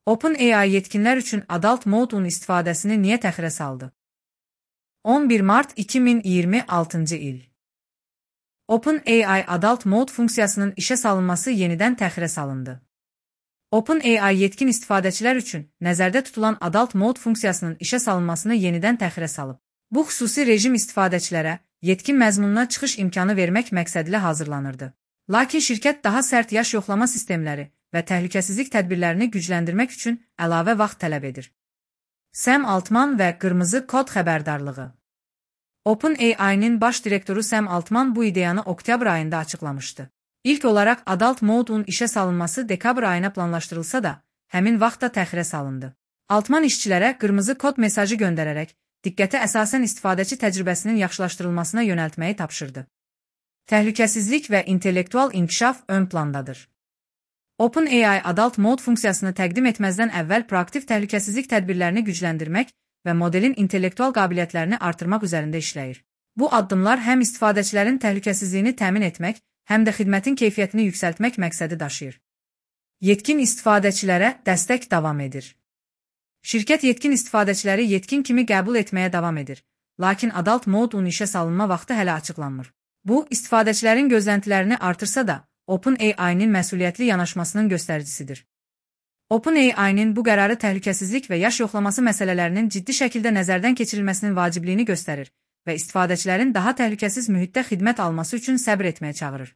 OpenAI yetkinlər üçün Adult Mode-un istifadəsini niyə təxirə saldı? 11 mart 2026-cı il. OpenAI Adult Mode funksiyasının işə salınması yenidən təxirə salındı. OpenAI yetkin istifadəçilər üçün nəzərdə tutulan Adult Mode funksiyasının işə salınmasını yenidən təxirə salıb. Bu xüsusi rejim istifadəçilərə yetkin məzmununa çıxış imkanı vermək məqsədilə hazırlanırdı. Lakin şirkət daha sərt yaş yoxlama sistemləri və təhlükəsizlik tədbirlərini gücləndirmək üçün əlavə vaxt tələb edir. Sam Altman və qırmızı kod xəbərdarlığı. OpenAI-nin baş direktoru Sam Altman bu ideyanı oktyabr ayında açıqlamışdı. İlk olaraq Adult Mode-un işə salınması dekabr ayına planlaşdırılsa da, həmin vaxtda təxirə salındı. Altman işçilərə qırmızı kod mesajı göndərərək, diqqəti əsasən istifadəçi təcrübəsinin yaxşılaşdırılmasına yönəltməyi tapşırdı. Təhlükəsizlik və intellektual inkişaf ön plandadır. OpenAI Adult Mode funksiyasını təqdim etməzdən əvvəl proaktiv təhlükəsizlik tədbirlərini gücləndirmək və modelin intellektual qabiliyyətlərini artırmaq üzərində işləyir. Bu addımlar həm istifadəçilərin təhlükəsizliyini təmin etmək, həm də xidmətin keyfiyyətini yüksəltmək məqsədi daşıyır. Yetkin istifadəçilərə dəstək davam edir. Şirkət yetkin istifadəçiləri yetkin kimi qəbul etməyə davam edir, lakin Adult Mode-un işə salınma vaxtı hələ açıqlanmır. Bu, istifadəçilərin gözləntilərini artırsa da, OpenAI-nin məsuliyyətli yanaşmasının göstəricisidir. OpenAI-nin bu qərarı təhlükəsizlik və yaş yoxlaması məsələlərinin ciddi şəkildə nəzərdən keçirilməsinin vacibliyini göstərir və istifadəçilərin daha təhlükəsiz mühitdə xidmət alması üçün səbr etməyə çağırır.